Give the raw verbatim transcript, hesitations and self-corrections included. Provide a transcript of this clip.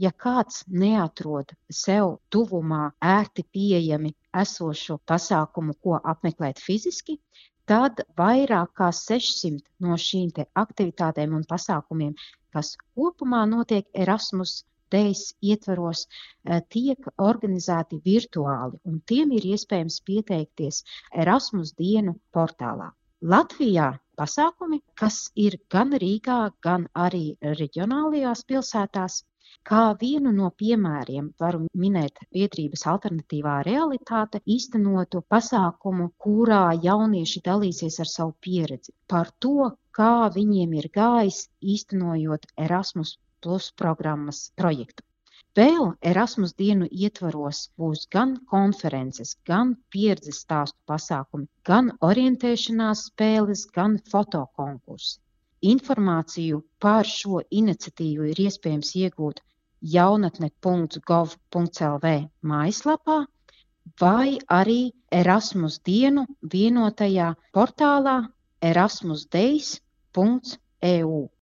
ja kāds neatrod sev tuvumā ērti pieejami esošo pasākumu, ko apmeklēt fiziski, tad vairāk kā sešsimt no šīm te aktivitātēm un pasākumiem, kas kopumā notiek Erasmus Days ietvaros, tiek organizēti virtuāli, un tiem ir iespējams pieteikties Erasmus dienu portālā. Latvijā pasākumi, kas ir gan Rīgā, gan arī reģionālajās pilsētās. Kā vienu no piemēriem varu minēt biedrības alternatīvā realitāte īstenotu pasākumu, kurā jaunieši dalīsies ar savu pieredzi par to, kā viņiem ir gājis īstenojot Erasmus Plus programmas projektu. Vēl Erasmus dienu ietvaros būs gan konferences, gan pieredzes stāstu pasākumi, gan orientēšanās spēles, gan fotokonkursi. Informāciju par šo iniciatīvu ir iespējams iegūt jaunatne punkts gov punkts el vē mājaslapā vai arī Erasmus dienu vienotajā portālā erasmus days punkts e u.